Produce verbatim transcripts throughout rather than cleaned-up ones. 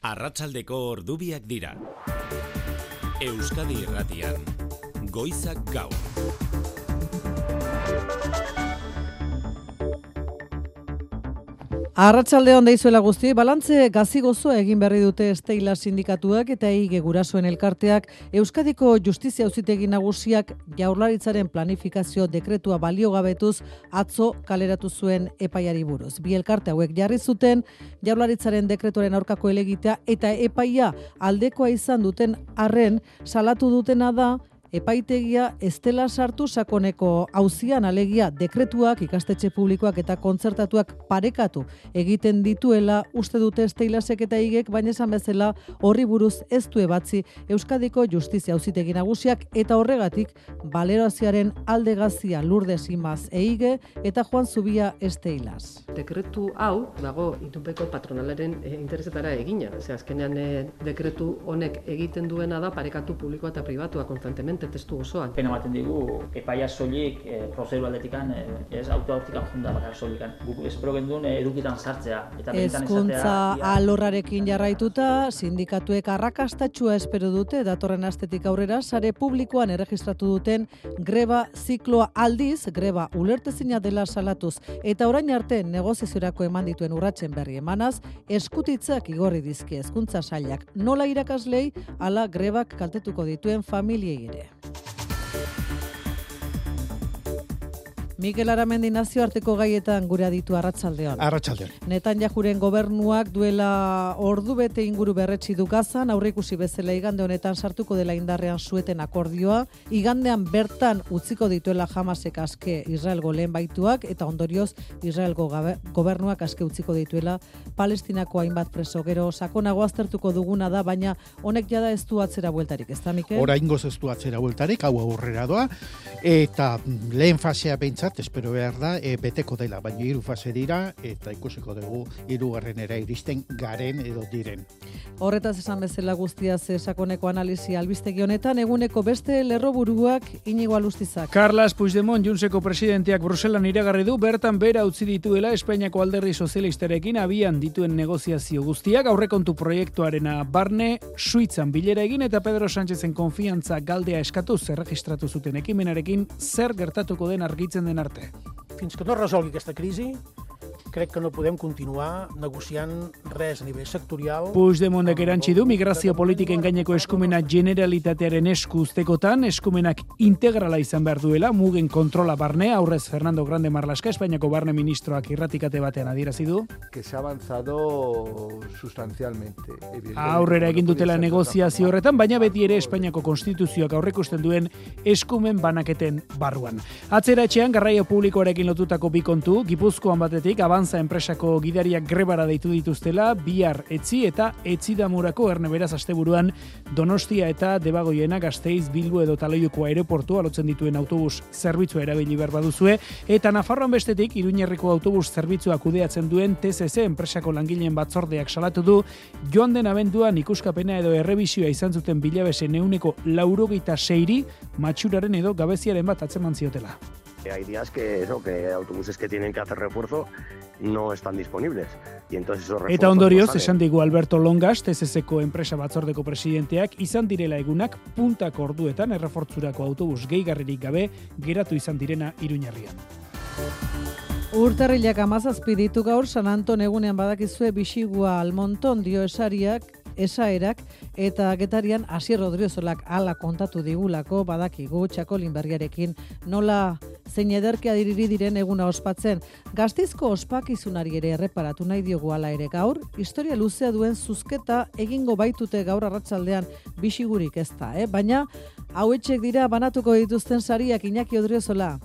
Arratsaldeko ordubiak dira. Euskadi Irratian, Goizak Gaur. Arratsalde on deizuela guzti, balantze gazi-gozoa egin berri dute Esteila sindikatuak eta E I G gurasoen elkarteak. Euskadiko Justizia Auzitegi Nagusiak Jaurlaritzaren planifikazio dekretua baliogabetuz atzo kaleratu zuen epaiari buruz. Bi elkarte hauek jarri zuten Jaurlaritzaren dekretuaren aurkako helegitea eta epaia aldekoa izan duten arren salatu dutena da epaitegia ez dela sartu sakoneko auzian, alegia dekretuak, ikastetxe publikoak eta kontzertatuak parekatu egiten dituela uste dute Esteilasek eta E I Gek, baina esan bezala horri buruz ez du ebatzi Euskadiko Justizia Auzitegi Nagusiak eta horregatik balorazioaren alde gazia Lourdes Imaz E I G eta Juan Zubia Esteilas. Dekretu hau dago itunpeko patronalaren e, interesetara egina. Ze azkenean e, dekretu honek egiten duena da parekatu publikoa eta pribatua konstantemente testu osoan. Pena ematen digu epaia soilik e, prozedur aldetikan e, ez autoautikan junda bakar solikan. Guk espero gendun e, edukitan sartzea eta benetan Hezkuntza alorrarekin jarraituta sindikatuek arrakastatsua espero dute datorren astetik aurrera sare publikoan erregistratu duten greba zikloa aldiz greba ulertezina dela salatuz eta orain arte negoziaziorako eman dituen urratsen berri emanaz eskutitzak igorri dizkie Hezkuntza Sailak nola irakaslei ala grebak kaltetuko dituen familiei ere. Mikel Aramendi nazioarteko gaietan gure aditu arratsaldean. Arratsaldean. Netanyahuren gobernuak duela ordu bete inguru berretsi du Gazan, aurreikusi bezala igande honetan sartuko dela indarrean sueten akordioa, igandean bertan utziko dituela Hamasek aske Israelgo lehen baituak eta ondorioz Israelgo gobernuak aske utziko dituela Palestinako hainbat preso. Gero sakonago aztertuko duguna da, baina honek jada ez du atzera bueltarik, ez da Mikel? Oraingoz ez du atzera bueltarik, hau aurrera doa eta lehen fasea behintzat espero behar da, e, beteko dela, baina hiru fase dira, eta ikusiko dugu hirugarrenera iristen garen edo diren. Horretaz esan bezala guztia ze sakoneko analisi albistegi honetan, eguneko beste lerroburuak Inigo Alustizak. Carles Puigdemont, Juntseko presidenteak Bruselan iragarri du, bertan bera utzi dituela Espainiako alderdi sozialistarekin abian dituen negoziazio guztiak, aurrekontu proiektuarena barne, Suitzan bilera egin eta Pedro Sánchezen konfiantza galdea eskatuz erregistratu zuten ekimenarekin zer gertatuko den argitzen den arte. Fins que no es resolgui aquesta crisi, crec que no podem continuar negociant res a nivell sectorial. Puigdemontek erantsi du migrazio politiken gaineko eskumena generalitatearen esku uztekotan, eskumenak integrala izan behar duela, mugen kontrola barne, aurrez Fernando Grande Marlaska, Espainiako barne ministroak irratikate batean adierazi du. Que se ha avanzado sustancialmente. Aurrera egin dutela negoziazio horretan, baina beti ere Espainiako konstituzioak aurreikusten duen eskumen banaketen barruan. Atzera etxean garraio publikoarekin lotutako bi kontu, Gipuzkoan batetik Avanza enpresako gidariak grebara deitu dituztela, bihar etzi eta etzidamurako erne beraz asteburuan Donostia eta Debagoiena, Gasteiz, Bilbo edo Taloiuko aeroportua lotzen dituen autobus zerbitzua erabili behar baduzue, eta Nafarroan bestetik Iruñerriko autobus zerbitzua kudeatzen duen T C C enpresako langileen batzordeak salatu du, joan den abenduan ikuskapena edo errebisioa izan zuten bilabesen ehuneko laurogeita seiri matxuraren edo gabeziaren bat atzeman ziotela. Hay días que eso, que autobuses que tienen que hacer refuerzo no están disponibles. Y entonces esos refuerzos. Eta ondorioz, esan digu Alberto Longas, T C C-ko enpresa batzordeko presidenteak, izan direla egunak puntako orduetan errefortzurako autobus gehigarririk gabe geratu izan direna Iruñerrian. Urtarrilak hamazazpi ditu gaur San Anton egunean badakizue bisigua almonton dio esariak, esaerak, eta getarian Asier Rodriozolak ala kontatu digulako badakigu Txakolin berriarekin nola zein ederkea diriri diren eguna ospatzen. Gasteizko ospakizunari ere erreparatu nahi diogu ala ere gaur, historia luzea duen zuzketa egingo baitute gaur arratsaldean bisigurik ez da, eh? Baina hauetxek dira banatuko dituzten sariak Iñaki Odriozola.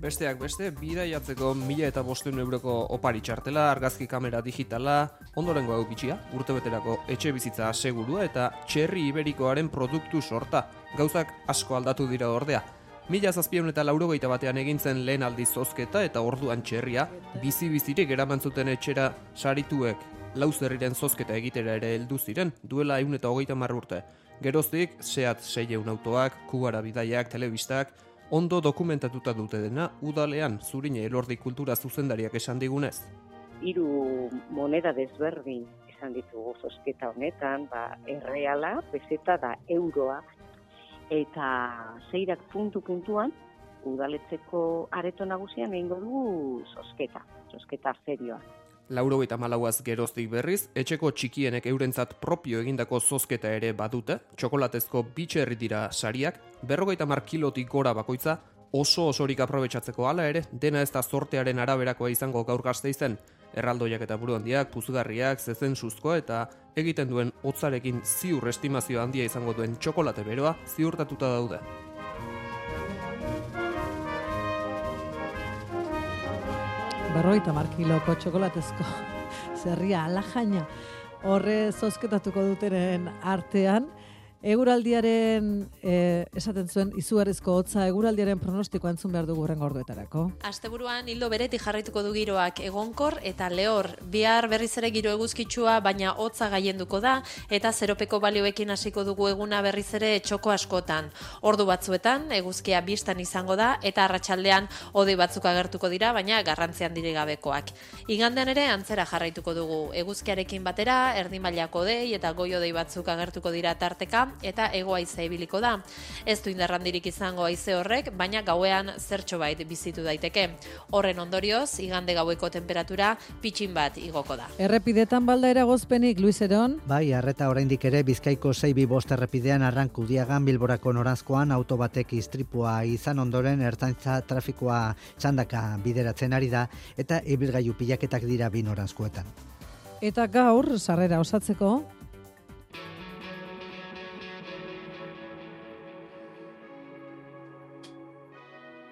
Besteak beste, bidaiatzeko mila eta bostehun euroko opari txartela, argazki kamera digitala, ondorengo hau bitxia, urtebeterako etxe bizitza segurua eta txerri iberikoaren produktu sorta. Gauzak asko aldatu dira ordea. Mila zazpiehun eta laurogeita batean egintzen lehen aldiz zozketa eta orduan txerria, bizi-bizirik eraman zuten etxera sarituek lauzerriren zozketa egitera ere heldu ziren, duela ehun eta hogeita hamar urte. Geroztik, Seat seiehun autoak, Kubara bidaiak, telebistak, ondo dokumentatuta dute dena, udalean Zurine Elordi kultura zuzendariak esan digunez. Hiru moneda desberdin izan ditugu zozketa honetan, ba, erreala, peseta da euroa, eta zeirak puntu-puntuan, udaletxeko areto nagusian egingo dugu zozketa, zozketa serioa. Laurogeita malauaz geroztik berriz, etxeko txikienek eurentzat propio egindako zozketa ere badute, txokolatezko bitxerri dira sariak, berrogeita mar kilotik gora bakoitza, oso osorik aprobetxatzeko hala ere, dena ez da zortearen araberakoa izango gaur Gasteizen, erraldoiak eta buru handiak, puzgarriak, zezen suzko eta egiten duen hotzarekin ziur estimazio handia izango duen txokolate beroa ziurtatuta daude. Berroita markiloko txokolatezko zerria alajaina horre zozketatuko dutenen artean. Eguraldiaren, eh, esaten zuen, izugarrizko hotza, eguraldiaren pronostikoa entzun behar dugu hurrengo orduetarako. Asteburuan hildo beretik jarraituko du giroak egonkor eta lehor. Bihar berriz ere giro eguzkitsua, baina hotza gaienduko da, eta zeropeko balioekin hasiko dugu eguna berriz ere txoko askotan. Ordu batzuetan, eguzkia bistan izango da, eta arratsaldean hodei batzuk agertuko dira, baina garrantzian dire gabekoak. Igandean ere antzera jarraituko dugu. Eguzkiarekin batera, erdi mailako hodei eta goi hodei batzuk agertuko dira tarteka, eta hego haize ibiliko da. Ez du indarrandirik izango haize horrek, baina gauean zertxo bait bizitu daiteke. Horren ondorioz, igande gaueko temperatura pitxin bat igoko da. Errepidetan balda eragozpenik, Luis Eron? Bai, arreta oraindik ere Bizkaiko sei bi bost errepidean Arrankudiagan Bilborako noranzkoan auto batek istripua izan ondoren ertzaintza trafikoa txandaka bideratzen ari da eta ibilgailu pilaketak dira bi noranzkoetan. Eta gaur, sarrera osatzeko,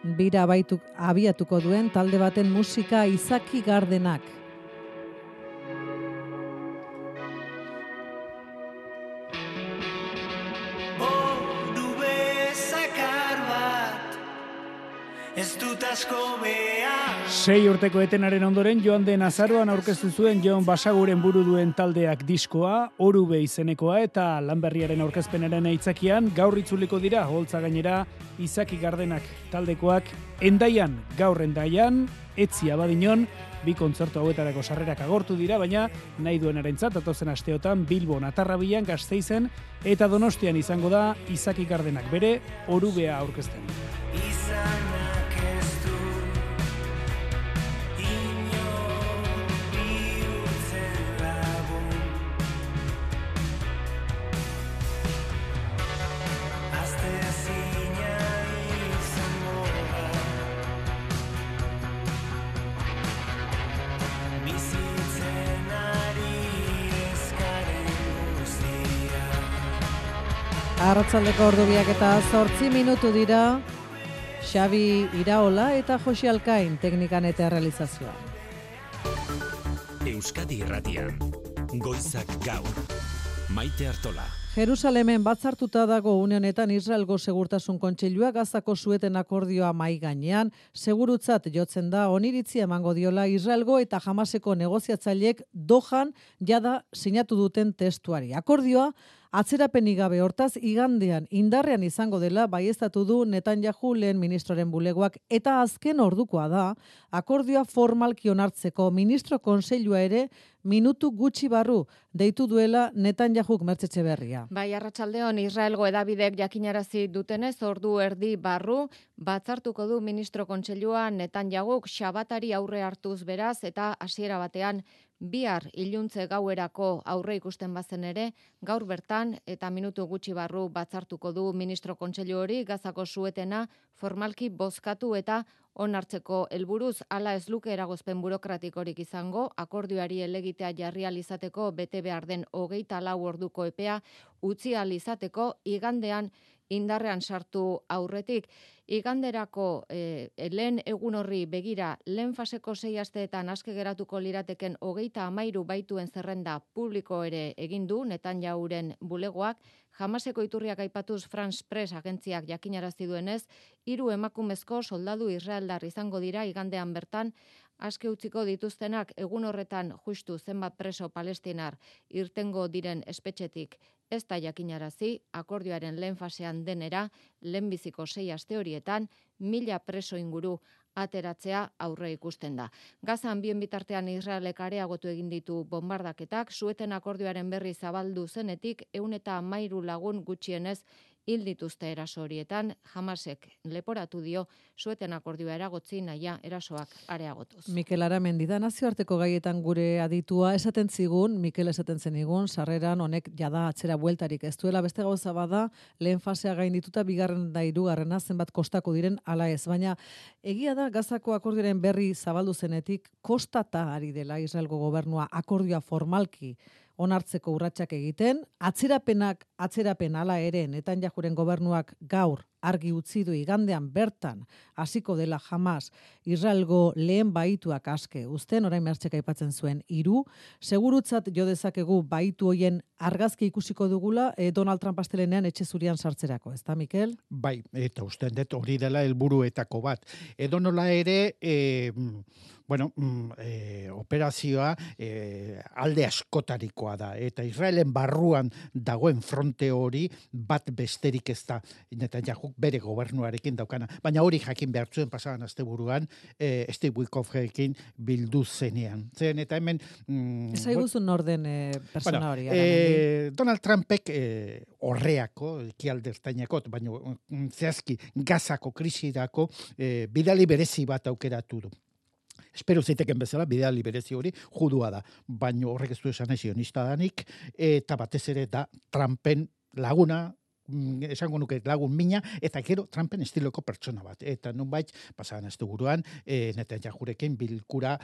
bira abaituk, abiatuko duen talde baten musika Izaki Gardenak. Sei urteko etenaren ondoren joan den azaroan aurkeztu zuen Jon Basaguren buru duen taldeak diskoa, Orube izenekoa eta Lanberriaren aurkezpenaren aitzakian gaur itzuliko dira holtza gainera Izaki Gardenak taldekoak Hendaian, gaur Hendaian, Etzi Abadiñon, bi kontzertu hauetarako sarrerak agortu dira, baina nahi duenarentzat datozen asteotan Bilbon, Atarrabian, Gasteizen eta Donostian izango da Izaki Gardenak bere Orubea aurkezten. Arratsaldeko ordubiak eta zortzi minutu dira, Xabi Iraola eta Josi Alkain teknikan eta realizazioa. Euskadi Irratian, Goizak Gaur, Maite Artola. Jerusalemen batzartuta dago une honetan Israelgo Segurtasun Kontseilua Gazako sueten akordioa mai gainean, segurutzat jotzen da oniritzi emango diola Israelgo eta Hamaseko negoziatzaileek Dohan jada sinatu duten testuari. Akordioa atzerapenik gabe hortaz igandean indarrean izango dela baieztatu du Netanyahu lehen ministroren bulegoak eta azken ordukoa da akordioa formalki onartzeko ministro kontseilua ere minutu gutxi barru deitu duela Netanyahuk Mertzetxe berria. Bai, arratsaldeon Israelgo edabidek jakinarazi dutenez ordu erdi barru batzartuko du ministro kontseilua Netanyahuk xabatari aurre hartuz beraz eta hasiera batean bihar iluntze gauerako aurre ikusten bazen ere, gaur bertan eta minutu gutxi barru batzartuko du ministro kontseilu hori Gazako suetena formalki bozkatu eta onartzeko helburuz hala ez luke eragozpen burokratikorik izango, akordioari elegitea jarri ahal izateko bete behar den hogeita lau orduko epea utzi ahal izateko igandean indarrean sartu aurretik. Iganderako e, lehen egun horri begira lehen faseko sei asteetan aske geratuko lirateken hogeita hamairu baituen zerrenda publiko ere egin du Netanyahuren bulegoak, Hamaseko iturriak aipatuz France Press agentziak jakinarazi duenez, hiru emakumezko soldadu israeldar izango dira igandean bertan, aske utziko dituztenak egun horretan justu zenbat preso palestinar irtengo diren espetxetik ez da jakinarazi, akordioaren lehen fasean denera, lehenbiziko sei aste horietan, mila preso inguru ateratzea aurre ikusten da. Gazan bien bitartean Israelek areagotu egin ditu bombardaketak, Sueten akordioaren berri zabaldu zenetik, ehun eta hamairu lagun gutxienez hil dituzte eraso horietan, Hamasek leporatu dio Sueten akordioa eragotzi nahia erasoak areagotuz. Mikel Aramendi da nazioarteko gaietan gure aditua, esaten zigun, Mikel esaten zenigun, sarreran honek jada atzera bueltarik ez duela, beste gauza bada, lehen fasea gaindituta, bigarren da hirugarrena zenbat kostako diren ala ez, baina egia da Gazako akordioaren berri zabaldu zenetik, kostata ari dela Israelgo gobernua akordioa formalki onartzeko urratsak egiten, atzerapenak atzerapen hala ere Netanyahuren gobernuak gaur argi utzi du igandean bertan hasiko dela Hamas Israelgo lehen baituak aske uzten, orain mertxek aipatzen zuen hiru, segurutzat jo dezakegu baitu hoien argazki ikusiko dugula e, Donald Trump astelenean etxe zurian sartzerako, ezta Mikel? Bai, eta usten dut hori dela helburuetako bat. Edonola ere, e, bueno, e, operazioa e, alde askotarikoa da, eta Israelen barruan dagoen fronte hori bat besterik ez da, Netanyahu bere gobernuarekin daukana, baina hori jakin behar zuen pasadan asteburuan e, Steve Witkoffekin bildu zenean. Zen, eta hemen... Mm, Ez haiguzun orden e, persona bueno, hori. E, Donald Trumpek e, horreako, ekialdertainako, baina zehazki Gazako krisirako e, bidali berezi bat aukeratu du. Espero zeiteken bezala, bidali berezi hori judua da, baina horrek ez du esan sionista danik, eta batez ere da Trumpen laguna, esango nuke lagun mina, eta gero Trumpen estiloko pertsona bat. Eta nunbait, pasadan ez duguruan, e, Netanyahurekin bilkura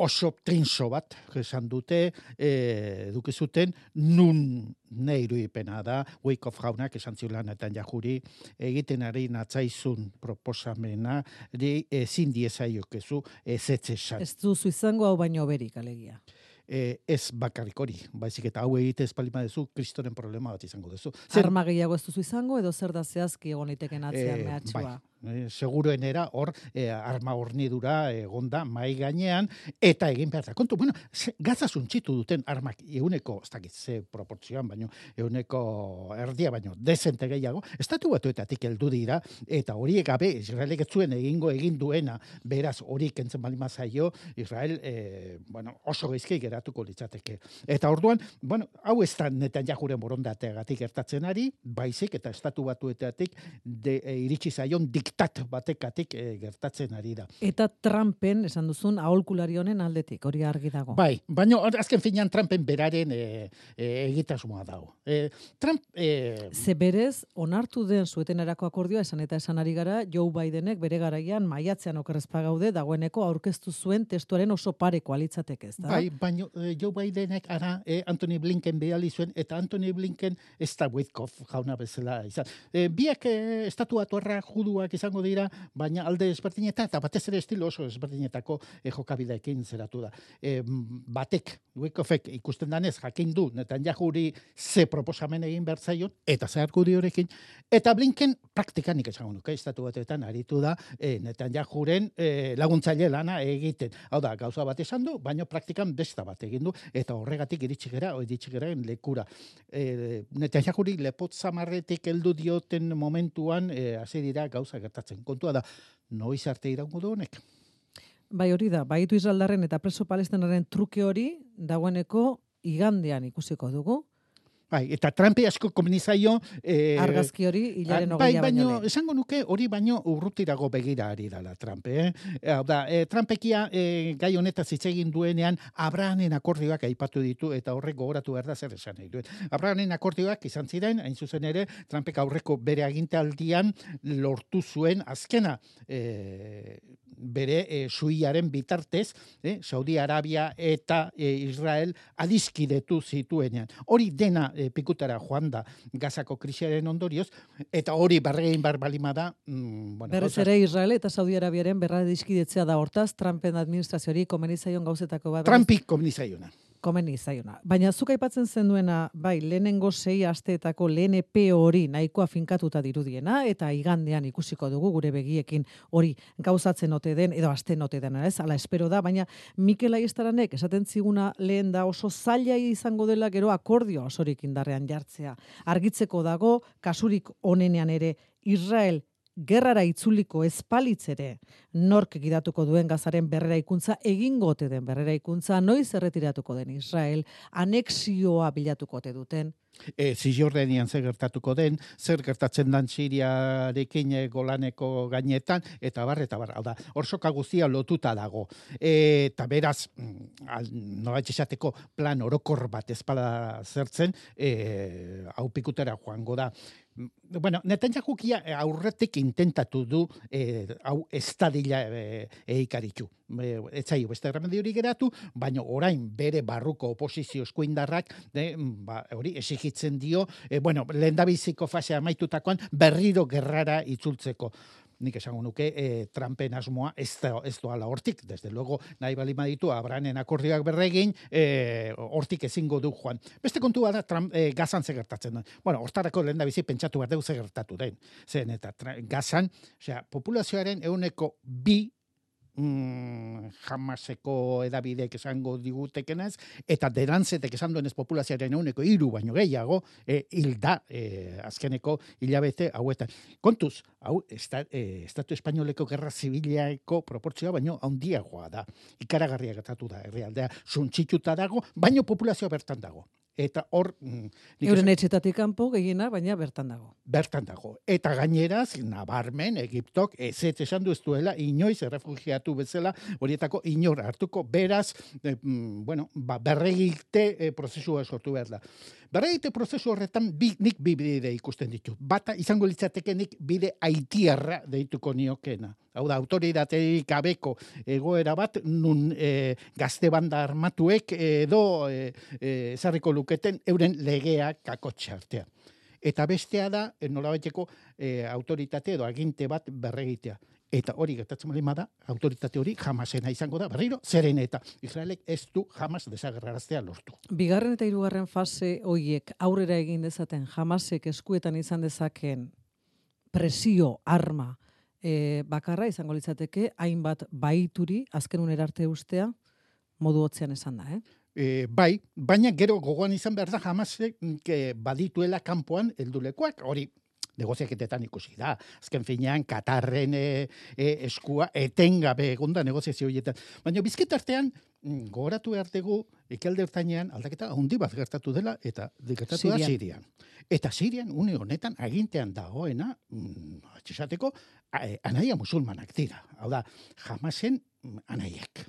oso trinso bat, esan dute, e, duke zuten, nun ne irudipena da, Wyckoff jaunak esan ziulan Netanyahuri, egiten ari natzaizun proposamena, ezin diezaiokezu ezetzesan. Ez duzu izango hau baino berik, alegia. E, ez bakarrik hori, baizik eta hau egite espalima duzu, kristoren problema bat izango duzu. Arma gehiago ez duzu izango, edo zer da zehazki egon liteken atzean e, mehatxua? Bai, e, seguruenera hor e, arma hornidura egonda mai gainean, eta egin behar da. Kontu, bueno, Gaza suntxitu duten armak euneko, ez dakit ze proportzioan, baino, euneko erdia, baino, dezente gehiago, estatu batuetatik heldu dira, eta horiek gabe, Israelek ez zuen egingo egin duena, beraz hori kentzen balima zaio, Israel, e, bueno, oso geizki geratuko litzateke. Eta orduan, bueno, hau ez da Netanyahuren borondateagatik gertatzen ari, baizik eta estatu batuetatik de, e, iritsi zaion diktat batekatik e, gertatzen ari da. Eta Trumpen, esan duzun, aholkulari honen aldetik, hori argi dago. Bai, baina azken finean Trumpen beraren e, e, egitasmoa dago. E, Trump... E, Ze berez, onartu den Suetenerako akordioa esan eta esan ari gara, Joe Bidenek bere garaian maiatzean okerrezpa gaude, dagoeneko aurkeztu zuen testuaren oso pareko alitzateke, ez da? Bai, baina e, Joe Bidenek ara e, Anthony Blinken behali zuen, eta Anthony Blinken ez da Witkoff jauna bezala izan. E, biak e, estatu batuarra juduak izango dira, baina alde ezberdineta, eta batez ere estilo oso ezberdinetako e, jokabideekin zeratu da. E, batek, Witkoffek ikusten danez, jakin du, Netanyahuri ze proposamen egin behar zaion, eta ze argudiorekin, eta Blinken praktikanik esango nuke, estatu batetan aritu da, e, Netanyahuren e, laguntzaile lana egiten. Hau da, gauza bat esan du, baina praktikan besta bat egin du, eta horregatik iritsi gera, iritsi geraen lekura. E, Netanyahuri lepot zamarretik heldu dioten momentuan, e, hasi dira gauza gertatzen. Kontua da, noiz arte iraungo du honek? Bai hori da, baitu Israeldarren eta preso palestinaren truke hori dagoeneko igandean ikusiko dugu. Bai, eta Trumpi asko komenizaio... Eh, Argazki hori hilaren bai, ogeia baino, baino lehen. Esango nuke hori baino urrutirago begira ari dala Trump. Eh? Hau da, eh, Trumpekia eh, gai honetaz hitz egin duenean Abrahamen akordioak aipatu ditu eta horrek gogoratu behar da zer esan nahi duen. Abrahamen akordioak izan ziren, hain zuzen ere, Trumpek aurreko bere agintaldian lortu zuen azkena eh, bere e, suiaren bitartez, eh, Saudi Arabia eta e, Israel adiskidetu zituenean. Hori dena e, pikutara joan da Gazako krisiaren ondorioz, eta hori barrein barbalima da... Mm, bueno, Berrez ere Israel eta Saudi Arabiaren berra diskidetzea da hortaz, Trumpen administrazioari komenizaion gauzetako bat. Trumpik komenizaiona. Komeni zaiona. Baina zuk aipatzen zenduena, bai, lehenengo sei asteetako lehen epe hori nahikoa finkatuta dirudiena, eta igandean ikusiko dugu gure begiekin hori gauzatzen ote den, edo asten ote den, ez? Ala espero da, baina Mikel Aiestaranek esaten ziguna lehen da oso zaila izango dela gero akordio osorik indarrean jartzea. Argitzeko dago, kasurik onenean ere, Israel gerrara itzuliko espalitzere, nork gidatuko duen Gazaren berreraikuntza, egingo ote den berreraikuntza, noiz erretiratuko den Israel, anexioa bilatuko ote duten. E, Zizjordanian zer gertatuko den, zer gertatzen dan Siriarekin e, Golaneko gainetan, eta bar, eta bar, hau da, orsoka guztia lotuta dago. E, eta beraz, nolait esateko plan orokor bat ezpada zertzen, e, hau pikutera joango da. Bueno, Netanyahukia aurretik intentatu du eh, hau estadila eh, eikaritu. Eh, ez zaio beste erremedio hori geratu, baina orain bere barruko oposizio eskuindarrak de, ba, hori esigitzen dio, eh, bueno, lehendabiziko fasea amaitutakoan berriro gerrara itzultzeko. Nik esango nuke e, Trumpen asmoa ez, da, ez doala hortik, desde luego nahi bali maditu Abrahamen akordioak berregin, e, hortik ezingo du joan. Beste kontua da Trump, e, Gazan zegertatzen den. Bueno, hortarako lehen da bizi pentsatu behar dugu zegertatu den. Zen eta Gazan, osea, populazioaren euneko bi Mm, Hamaseko edabidek esango digutekenez, eta derantzetek esan duenez populazioaren euneko hiru baino gehiago, e, hilda e, azkeneko hilabete hauetan. Kontuz, hau, esta, e, Estatu Espainoleko gerra zibileko proportzioa baino handiagoa da. Ikaragarria gertatu da, herrialdea suntsituta dago, baino populazioa bertan dago. Eta hor... Euren etxetatik kanpo gehiena, baina bertan dago. Bertan dago. Eta gaineraz, nabarmen, Egiptok, ez ez esan du ez duela, inoiz errefugiatu bezala, horietako inor hartuko, beraz, eh, bueno, ba, berregite eh, prozesua sortu behar da. Berregite prozesu horretan, bi, nik bi bide ikusten ditu. Bata, izango litzateke nik bide haitiarra deituko niokena. Hau da, autoridaterik gabeko egoera bat, nun e, gazte banda armatuek edo e, e, ezarriko luketen euren legeak kakotxe artean. Eta bestea da, nolabaiteko e, autoritate edo aginte bat berregitea. Eta hori gertatzen bali da, autoritate hori Hamasena izango da, berriro, zeren eta Israelek ez du Hamas desagerraraztea lortu. Bigarren eta hirugarren fase hoiek aurrera egin dezaten, Hamasek eskuetan izan dezakeen presio, arma, E, bakarra izango litzateke, hainbat baituri, azken unera arte ustea, modu hotzean esan da, eh? E, bai, baina gero gogoan izan behar da Hamasek badituela kanpoan heldulekoak, hori negoziaketetan ikusi da. Azken finean, Katarren e, e, eskua etengabe egonda negoziazio horietan. Baina bizketartean, gogoratu behar dugu, ekialde ertainean aldaketa handi bat gertatu dela, eta gertatu da Sirian. Eta Sirian, une honetan, agintean dagoena, mm, atxesateko, anaia musulmanak dira. Hau da, Hamasen anaiek.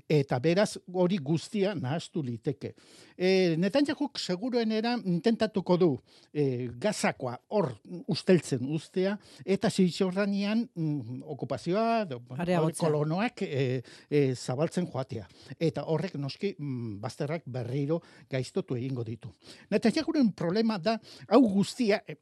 Eta beraz hori guztia nahaztu liteke. E, Netanyahuk seguruenera intentatuko du e, Gazakoa hor usteltzen ustea, eta Zizjordanian mm, okupazioa, do, kolonoak e, e, zabaltzen joatea. Eta horrek noski mm, bazterrak berriro gaiztotu egingo ditu. Netanyahuren problema da, hau guztia, e,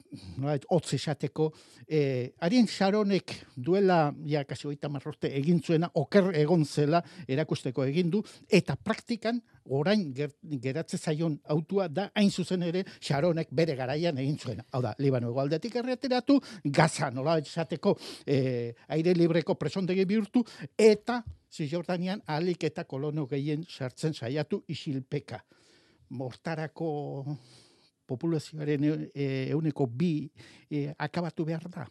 hotz esateko, e, Ariel Sharonek duela, ja, kasi hogeita hamar urte egin zuena, oker egon zela erakusten egin du, eta praktikan orain ger, geratze zaion autua da hain zuzen ere Sharonek bere garaian egin zuena. Hau da, Libano hegoaldetik erreteratu, Gaza nola esateko e, aire libreko presondegi bihurtu, eta Zizjordanian ahalik eta kolono gehien sartzen saiatu isilpeka. Mortarako populazioaren euneko bi e, akabatu behar da.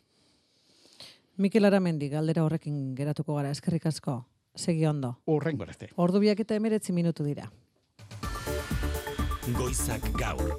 Mikel Aramendi, galdera horrekin geratuko gara, eskerrik asko. Segi ondo. Horrengo arte. Ordu biak eta emeretzi minutu dira. Goizak gaur.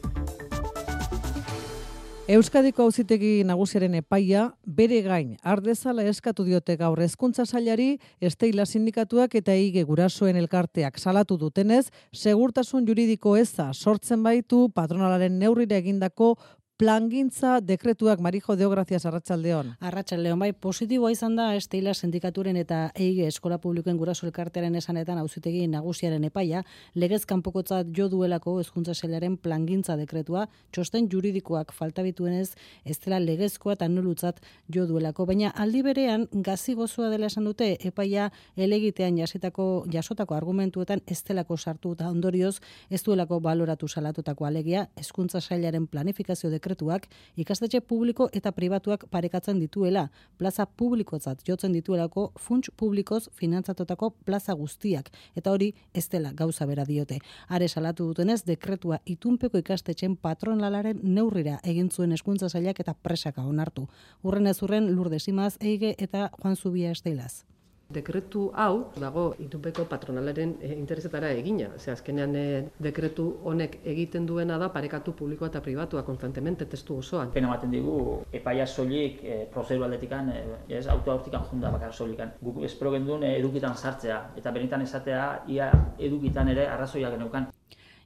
Euskadiko Auzitegi Nagusiaren epaia bere gain ardezala eskatu diote gaur Hezkuntza Sailari, Esteila sindikatuak eta Eige gurasoen elkarteak salatu dutenez, segurtasun juridiko eza sortzen baitu patronalaren neurrira egindako plangintza dekretuak. Marijo Deo, gracias, arratsaldeon. Arratsaldeon, bai, positiboa izan da Esteila sindikaturen eta Eige eskola publikoen guraso elkartearen esanetan Auzitegi Nagusiaren epaia legez kanpokotzat jo duelako Hezkuntza Sailaren plangintza dekretua, txosten juridikoak falta bituenez ez dela legezkoa eta nulutzat jo duelako, baina aldi berean gazi gozoa dela esan dute epaia elegitean jasitako jasotako argumentuetan ez delako sartu eta ondorioz ez duelako baloratu salatutako alegia Hezkuntza Sailaren planifikazio dekretua dekretuak ikastetxe publiko eta pribatuak parekatzen dituela, plaza publikotzat jotzen dituelako funts publikoz finantzatutako plaza guztiak, eta hori ez dela gauza bera diote. Are salatu dutenez, dekretua itunpeko ikastetxen patronalaren neurrira egin zuen hezkuntza sailak eta presaka onartu. Urren ez urren Lourdes Imaz, Eige eta Juan Zubia Esteilaz. Dekretu hau dago itunpeko patronalaren e, interesetara egina. Ze azkenean e, dekretu honek egiten duena da parekatu publikoa eta pribatua konstantemente testu osoan. Pena ematen digu epaia soilik e, prozedu aldetikan, e, ez autoaurtikan junda bakar soilikan. Guk espero genduen e, edukitan sartzea eta benetan esatea ia edukitan ere arrazoiak geneukan.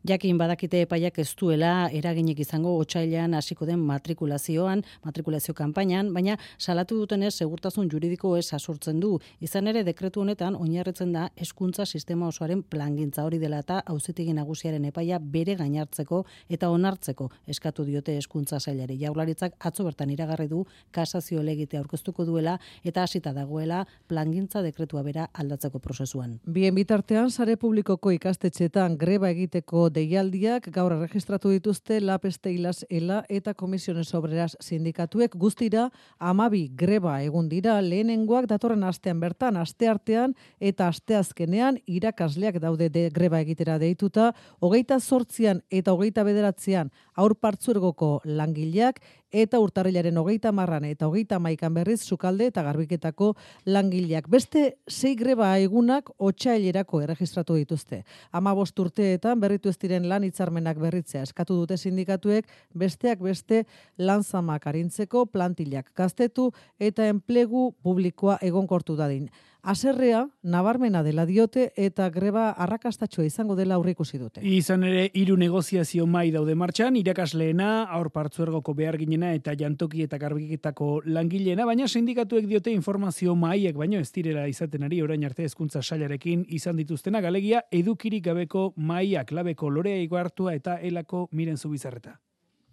Jakin badakite epaiak ez duela eraginik izango otsailean hasiko den matrikulazioan, matrikulazio kanpainan, baina salatu dutenez segurtasun juridiko ez asortzen du. Izan ere dekretu honetan oinarritzen da hezkuntza sistema osoaren plangintza hori dela eta auzitegi nagusiaren epaia bere gainartzeko eta onartzeko eskatu diote hezkuntza sailari. Jaurlaritzak atzo bertan iragarri du kasazio helegitea aurkeztuko duela eta hasita dagoela plangintza dekretua bera aldatzeko prozesuan. Bien bitartean sare publikoko ikastetxeetan greba egiteko deialdiak gaur erregistratu dituzte Lab Steilas Ela eta Comisiones Obreras sindikatuek. Guztira hamabi greba egun dira, lehenengoak datorren astean bertan, asteartean eta asteazkenean irakasleak daude de greba egitera deituta, hogeita zortzian eta hogeita bederatzean haur partzuergoko langileak eta urtarrilaren hogeita marran eta hogeita maikan berriz sukalde eta garbiketako langileak. Beste sei greba egunak otsailerako erregistratu dituzte. Hamabost urteetan berritu ez diren lan hitzarmenak berritzea eskatu dute sindikatuek, besteak beste lan zamak arintzeko plantillak gaztetu eta enplegu publikoa egonkortu dadin. Haserrea nabarmena dela diote eta greba arrakastatxoa izango dela aurreikusi dute. Izan ere hiru negoziazio mai daude martxan, irakasleena, haur partzuergoko beharginena eta jantoki eta garbiketako langileena, baina sindikatuek diote informazio maiek baino ez direla izaten ari orain arte hezkuntza sailarekin izan dituztena, galegia edukirik gabeko maiak labeko Lorea Igoartua eta Elako Miren Zubizarreta.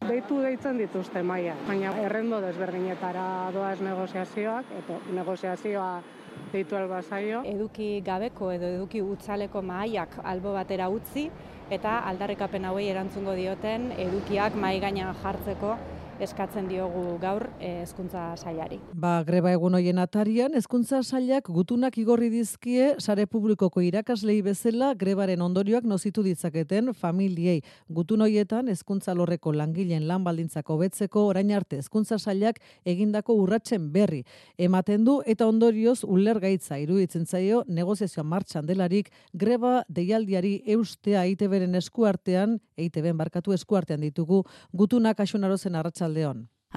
Deitu deitzen dituzte maia, baina errendo desberdinetara doaz negoziazioak, eta negoziazioa deitu albazaio. Eduki gabeko edo eduki utzaleko mahaiak albo batera utzi eta aldarrikapen hauei erantzungo dioten edukiak mahai gainean jartzeko eskatzen diogu gaur hezkuntza sailari. Ba, greba egun hoien atarian, hezkuntza sailak gutunak igorri dizkie sare publikoko irakaslei bezala grebaren ondorioak nozitu ditzaketen familiei. Gutun hoietan hezkuntza alorreko langileen lan baldintzak hobetzeko orain arte hezkuntza sailak egindako urratsen berri ematen du eta ondorioz ulergaitza iruditzen zaio negoziazioa martxan delarik greba deialdiari eustea E I T Bren eskuartean, E I T Ben barkatu eskuartean ditugu gutunak Axunarozen arratsaldeon.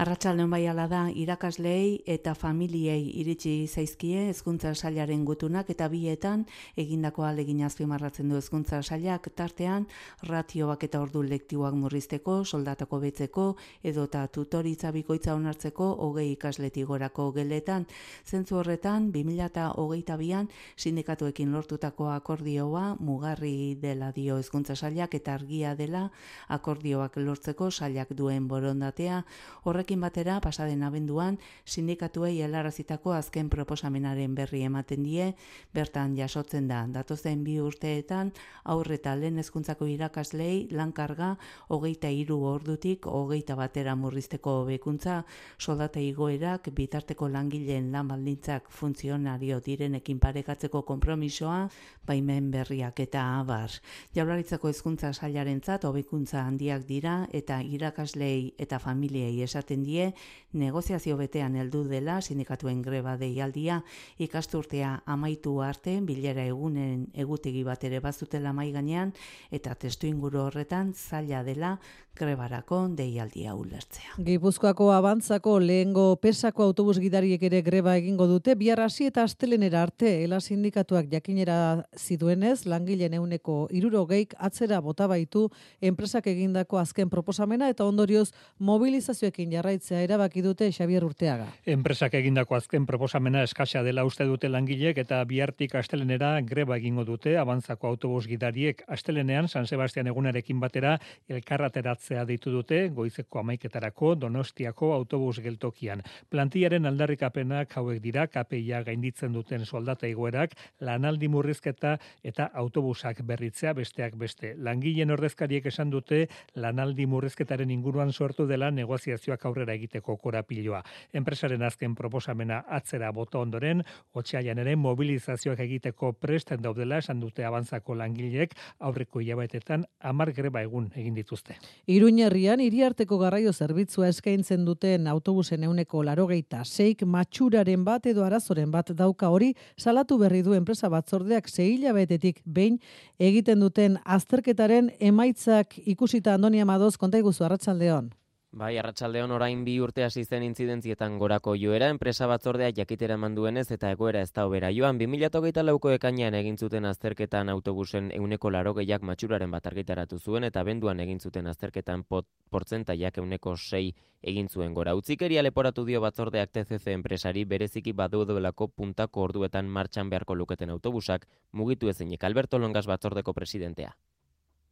Arratsaldeon bai hala da, irakasleei eta familiei iritsi zaizkie hezkuntza sailaren gutunak eta bietan egindako ahalegin azpimarratzen du hezkuntza sailak tartean ratioak eta ordu lektiboak murrizteko, soldatako betzeko edota tutoritza bikoitza onartzeko hogei ikasletik gorako geletan. Zentzu horretan bi mila hogeita bian sindikatuekin lortutako akordioa mugarri dela dio hezkuntza sailak eta argia dela akordioak lortzeko sailak duen borondatea. Horrekin batera, pasaden abenduan, sindikatuei helarazitako azken proposamenaren berri ematen die, bertan jasotzen da, datozen bi urteetan, aurre eta lehen hezkuntzako irakaslei lankarga hogeita hiru ordutik hogeita batera murrizteko hobekuntza, soldata igoerak, bitarteko langileen lan baldintzak funtzionario direnekin parekatzeko konpromisoa, baimen berriak eta abar. Jaurlaritzako hezkuntza sailarentzat hobekuntza handiak dira eta irakaslei eta familiei esaten die negoziazio betean heldu dela sindikatuen greba deialdia ikasturtea amaitu arte bilera egunen egutegi bat ere bazutela mai gainean eta testuinguru horretan zaila dela grebarako deialdia ulertzea. Gipuzkoako Abantzako lehengo pesako autobus gidariek ere greba egingo dute bihar hasi eta astelenera arte ela sindikatuak jakinera ziduenez langileen ehuneko hirurogeik atzera bota baitu enpresak egindako azken proposamena eta ondorioz mobilizazioekin jarraitzea erabaki dute Xabier Urteaga. Enpresak egindako azken proposamena eskasa dela uste dute langilek eta bihartik astelenera greba egingo dute Abantzako autobus gidariek. Astelenean San Sebastian egunarekin batera elkarrateratzea deitu dute goizeko hamaiketarako Donostiako autobus geltokian. Plantillaren aldarrikapenak hauek dira K P I-a gainditzen duten soldata igoerak, lanaldi murrizketa eta autobusak berritzea besteak beste. Langileen ordezkariek esan dute lanaldi murrizketaren inguruan sortu dela negoziazioak aurrera egiteko korapiloa. Enpresaren azken proposamena atzera bota ondoren, otsailean ere mobilizazioak egiteko presten daudela esan dute Abantzako langileek aurreko hilabetetan hamar greba egun egin dituzte. Iruñerrian hiriarteko garraio zerbitzua eskaintzen duten autobusen ehuneko laurogeita seik matxuraren bat edo arazoren bat dauka hori salatu berri du enpresa batzordeak sei hilabetetik behin egiten duten azterketaren emaitzak ikusita. Andoni Amadoz, konta iguzu, arratsaldeon. Bai, arratsaldeon orain bi urte hasi zen intzidentzietan gorako joera, enpresa batzordea jakitera eman duenez eta egoera ez da hobera joan. bi mila hogeita lauko ekainean egin zuten azterketan autobusen ehuneko laurogeiak matxuraren bat argitaratu zuen eta abenduan egin zuten azterketan pot, portzentaiak ehuneko sei egin zuen gora. Utzikeria leporatu dio batzordeak T C C enpresari bereziki badudelako puntako orduetan martxan beharko luketen autobusak mugitu ezinik. Alberto Longas batzordeko presidentea.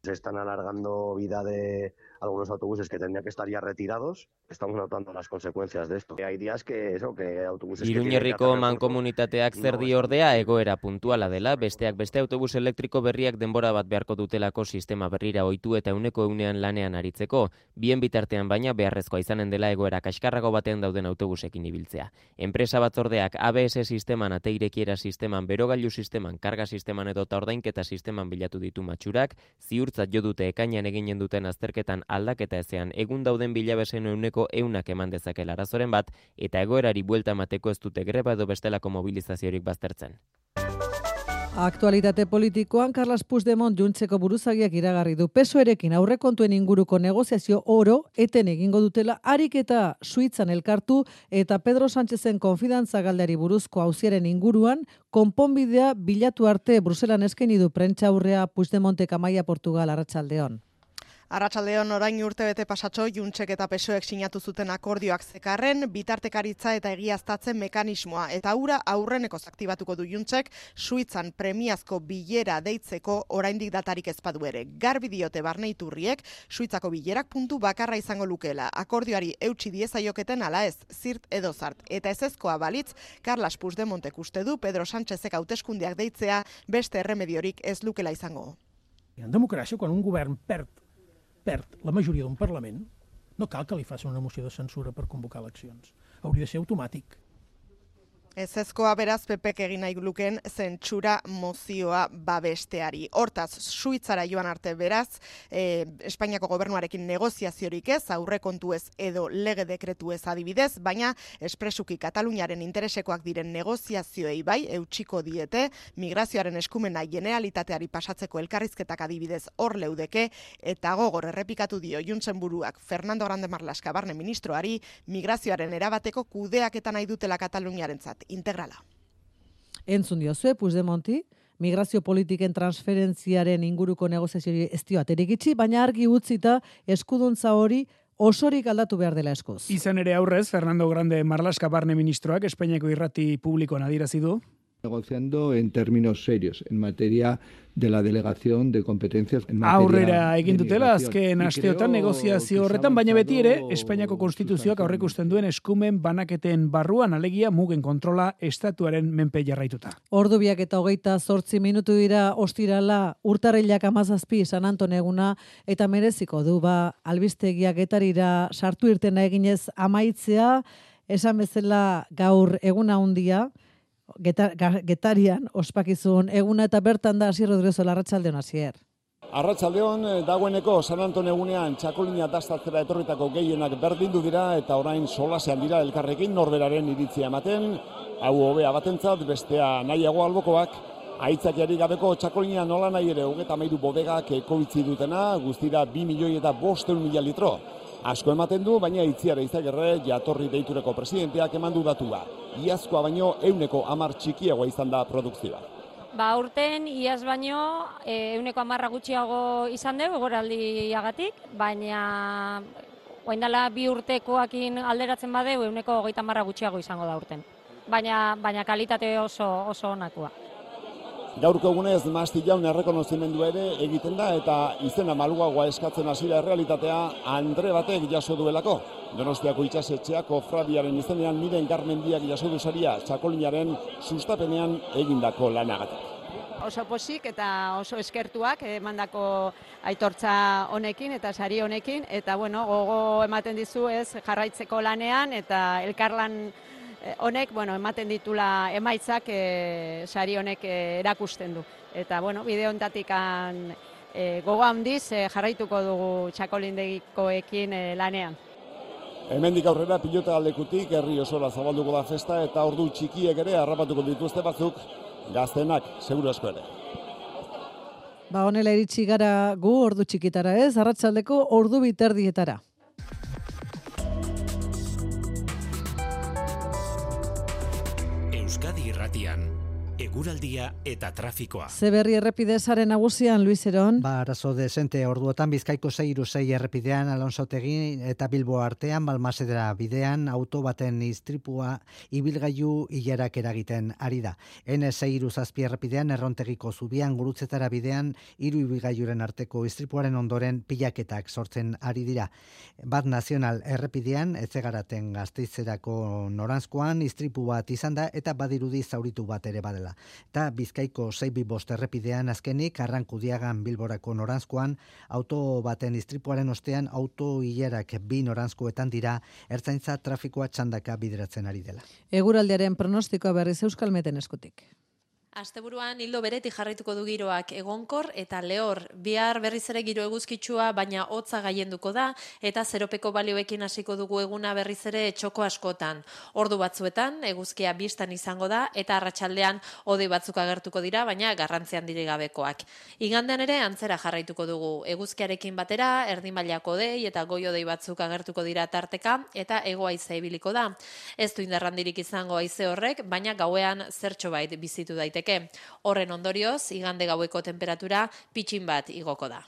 Se están alargando vida de algunos autobuses que tendrían que estar ya retirados. Estamos notando las consecuencias de esto. Hay días que eso, que autobuses que Iruñerriko mankomunitateak zer dio ordea egoera puntuala dela, besteak beste autobus elektriko berriak denbora bat beharko dutelako sistema berrira ohitu eta ehuneko ehunean lanean aritzeko, bien bitartean baina beharrezkoa izanen dela egoera kaskarrago batean dauden autobusekin ibiltzea. Enpresa batzordeak A B S sisteman, ate irekiera sisteman, berogailu sisteman, karga sisteman edo eta ordainketa sisteman bilatu ditu matxurak, ziurtzat jo dute ekainean eginen duten azterketan aldaketa ezean egun dauden bilabesen ehuneko ehunak eman dezakela arazoren bat eta egoerari buelta emateko ez dute greba edo bestelako mobilizaziorik baztertzen. Aktualitate politikoan Carles Puigdemont Juntzeko buruzagiak iragarri du P S O Erekin aurrekontuen inguruko negoziazio oro eten egingo dutela ariketa Suitzan elkartu eta Pedro Sánchezen konfidantza galdeari buruzko auziaren inguruan konponbidea bilatu arte Bruselan eskaini du prentsaurrea Puigdemontek Amaia Portugal arratsaldeon. Arratsaldeon orain urtebete pasatxo Juntzek eta P S Oek sinatu zuten akordioak zekarren, bitartekaritza eta egiaztatzen mekanismoa eta hura aurrenekoz aktibatuko du Juntzek Suitzan premiazko bilera deitzeko oraindik datarik ez badu ere. Garbi diote barneiturriek Suitzako bilerak puntu bakarra izango lukela. Akordioari eutsi diezaioketen ala ez, zirt edo zart. Eta ezezkoa balitz, Carles Puigdemontek uste du Pedro Sánchezek hauteskundeak deitzea beste erremediorik ez lukela izango. En democràcia, quan un govern perd perd la majoria d'un Parlament, no cal que li faci una moció de censura per convocar eleccions. Hauria de ser automàtic. Ezezkoa beraz Pepek egin nahi luken zentsura mozioa babesteari. Hortaz, Suitzara joan arte beraz, e, Espainiako gobernuarekin negoziaziorik ez, aurrekontu ez edo lege dekretu ez adibidez, baina espresuki Kataluniaren interesekoak diren negoziazioei bai, eutxiko diete, migrazioaren eskumena generalitateari pasatzeko elkarrizketak adibidez hor leudeke, eta gogor errepikatu dio Juntzen buruak Fernando Grande Marlaska barne ministroari, migrazioaren erabateko kudeaketan nahi dutela Kataluniarentzat. Integrala. Entzun diozue, Puigdemonti, migrazio politiken transferentziaren inguruko negoziazioari ez dio aterik itxi, baina argi utzita eskuduntza hori osorik aldatu behar dela eskuz. Izan ere aurrez, Fernando Grande Marlaska barne ministroak Espainiako irrati publikoan adierazi du. Negociando en términos serios, en materia de la delegación de competencias en materia aurrera egin dutela azken asteotan negoziazio horretan, baina beti ere Espainiako konstituzioak aurreikusten duen eskumen banaketen barruan alegia mugen kontrola estatuaren menpe jarraituta. Ordu biak eta hogeita zortzi minutu dira ostirala urtarrilak amazazpi San Anton eguna eta mereziko du ba albistegiak getarira sartu irtena eginez amaitzea, esan bezala gaur eguna handia. Getar, getarian ospakizun eguna eta bertan da Asier Rodriguez Arratsaldeon Asier. Arratsaldeon dagoeneko San Anton egunean txakolina dastatzera etorritako gehienak berdindu dira eta orain solasean dira elkarrekin norberaren iritzia ematen, hau hobea batentzat bestea nahiago albokoak, aitzakiari gabeko txakolina nola nahi ere hogeita hamairu bodegak ekoitzi dutena, guztira bi milioi eta bosteun mila litro. Asko ematen du, baina itziara izagerre jatorri deitureko presidenteak eman du datua. Iazkoa baino euneko hamar txikiagoa izan da produkzioa. Ba, urten iaz baino euneko hamarra gutxiago izan dugu egoraldiagatik, baina Orain dela bi urtekoakin alderatzen badeu, ehuneko hogeita hamar gutxiago izango da urten. Baina, baina kalitate oso, oso onakoa. Gaurko egunez Mastillaun errekonozimendu ere egiten da eta izena maluagoa eskatzen hasi da errealitatea Andre batek jaso duelako. Donostiako itsasetxeak kofradiaren izenean Miren Garmendiak jaso du saria txakolinaren sustapenean egindako lanagatik. Oso posik eta oso eskertuak emandako aitortza honekin eta sari honekin eta bueno, gogo ematen dizu ez jarraitzeko lanean eta elkarlan honek, bueno, ematen ditula emaitzak e, sari honek e, erakusten du. Eta, bueno, bide honetatik e, gogo handiz e, jarraituko dugu txakolindegikoekin e, lanean. Hemendik aurrera pilota aldekutik herri osora zabalduko da festa eta ordu txikiek ere harrapatuko dituzte batzuk gaztenak, seguru asko ere. Ba, honela iritsi gara gu ordu txikitara ez, arratsaldeko ordu biterdietara. Euskadi Irratian, eguraldia eta trafikoa. Zeberri errepide sare nagusian, Luis Eron. Ba, arazo desente orduotan Bizkaiko sei hiru sei errepidean Alonsotegi eta Bilbo artean Balmasedera bidean auto baten istripua ibilgailu ilarak eragiten ari da. N sei hiru zazpi errepidean Errontegiko zubian Gurutzetara bidean hiru ibilgailuren arteko istripuaren ondoren pilaketak sortzen ari dira. Bat nazional errepidean Etzegaraten Gasteizerako noranzkoan istripu bat izan da eta badirudi zauritu bat ere badela. Eta Bizkaiko sei bi bost errepidean azkenik Arrankudiagan Bilborako noranzkoan auto baten istripuaren ostean auto ilarak bi noranzkoetan dira ertzaintza trafikoa txandaka bideratzen ari dela. Eguraldiaren pronostikoa berriz Euskalmeten eskutik. Asteburuan hildo beretik jarraituko du giroak egonkor eta lehor. Bihar berriz ere giro eguzkitsua baina hotza gaienduko da eta zeropeko balioekin hasiko dugu eguna berriz ere txoko askotan. Ordu batzuetan eguzkia bistan izango da eta arratsaldean hodei batzuk agertuko dira baina garrantzi handirik gabekoak. Igandean ere antzera jarraituko dugu. Eguzkiarekin batera erdi mailako hodei eta goi hodei batzuk agertuko dira tarteka eta hego haize ibiliko da. Ez du indar handirik izango haize horrek, baina gauean zertxobait bizitu daiteke. Horren ondorioz, igande gaueko temperatura pitxin bat igoko da.